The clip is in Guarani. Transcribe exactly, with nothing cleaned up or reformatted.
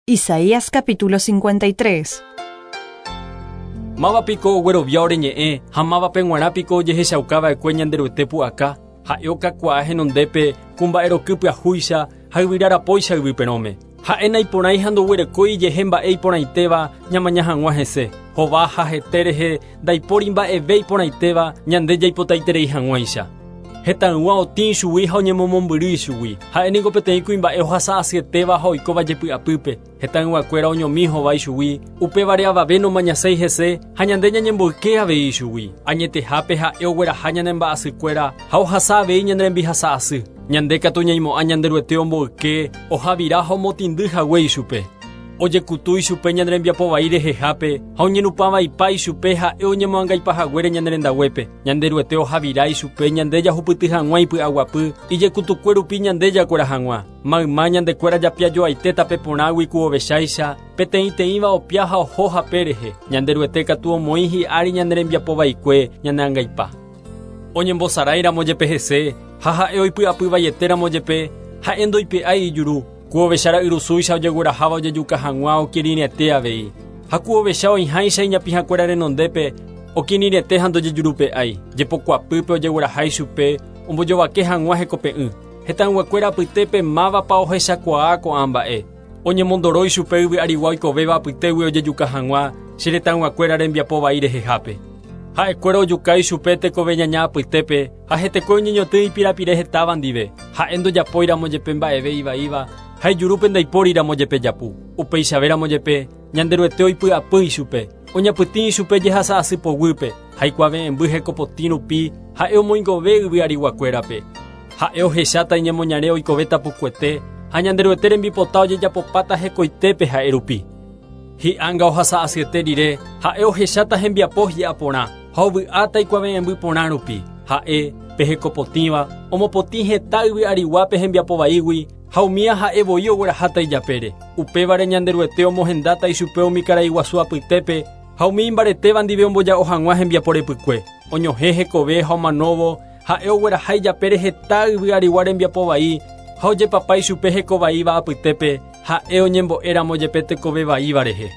Isaías capítulo cincuenta y tres. Máva piko oguerovia ore ñe'ẽ ha mávape g̃uarã piko ojehechaukava'ekue Ñanderuete pu'aka. Ha'e okakuaa henondépe ku mba'eroky pyahúicha ha yvyrarapóicha yvyperõme. Ha'e naiporãi ha ndoguerekói ijehe mba'e iporãitéva ñamaña hag̃ua hese. Hova ha hete rehe ndaipóri mba'eve iporãitéva ñande jaipotaiterei hag̃uáicha. Hetãygua otĩ ichugui ha oñemomombyry ichugui. Ha'e niko peteĩ kuimba'e ohasa asyetéva ha oikóva jepy'apýpe. Hetãyguakuéra oñomi hova ichugui, upévare avave nomañaséi hese ha ñande ñañemboyke avei ichugui. Añetehápe ha'e ogueraha ñane mba'asykuéra ha ohasa avei ñane rembihasa asy. Ñande katu ñaimo'ã Ñanderuete omboyke, ohavira ha omotĩndy hague ichupe. Ojekutu ichupe ñane rembiapo vai rehehápe ha oñenupãvaipa ichupe ha'e oñemoangaipahaguére ñane rendaguépe. Ñanderuete ohavira ichupe ñande jahupyty hag̃ua ipy'aguapy, ijekutukue rupi ñande jakuera hag̃ua. Mayma ñandekuéra japiajoaite tape porãgui ku ovecháicha, peteĩteĩva opia ha oho hape rehe. Ñanderuete katu omoĩ hi'ári ñane rembiapo vaikue ñane angaipa. Oñembosaráiramo jepe hese ha ha'e oipy'apyvaietéramo jepe, ha'e ndoipe'ái ijuru. Ku ovecha ra'yrusúicha ojegueraháva ojejuka hag̃ua okirirĩete avei. Ha ku ovecha oĩháicha iñapĩhakuéra renondépe okirirĩete ha ndojejurupe'ái. Jepokuapýpe ojegueraha ichupe ombojovake hag̃ua hekope'ỹ. Hetãyguakuéra apytépe mávapa ohechakuaa ko'ã mba'e. Oñemondoro ichupe yvy arigua oikovéva apytégui ojejuka hag̃ua che retãyguakuéra rembiapo vai rehehápe. Ha'ekuéra ojuka ichupe tekove ñaña apytépe ha hetekue oñeñotỹ ipirapire hetáva ndive. Ha'e ndojapóiramo jepe mba'eve ivaíva ha ijurúpe ndaipóriramo jepe japu. Upeichavéramo jepe Ñanderuete oipy'apy ichupe. Oñapytĩ ichupe jehasa asy poguýpe ha ikuave'ẽmby hekopotĩ rupi ha'e omoingove yvy ariguakuérape. Ha'e ohecháta iñemoñare oikovéta pukuete ha Ñanderuete rembipota ojejapopáta hekoitépe ha'e rupi. Hi'ánga ohasa asyete rire ha'e ohecháta hembiapo hi'a porã ha ovy'áta ikuave'ẽmby porã rupi. Ha'e pe hekopotĩva omopotĩ heta yvy ariguápe hembiapo vaígui ha umía ha'e voi ogueraháta ijapére. Upévare Ñanderuete omohendáta ichupe umi karai guasu apytépe ha umi imbaretéva ndive omboja'o hag̃ua hembiapo repykue. Oñohẽ hekove ha omanóvo ha'e ogueraha ijapére heta yvy arigua rembiapo vai ha ojepapa ichupe hekovaíva apytépe ha'e oñembo'éramo jepe tekove vaíva rehe.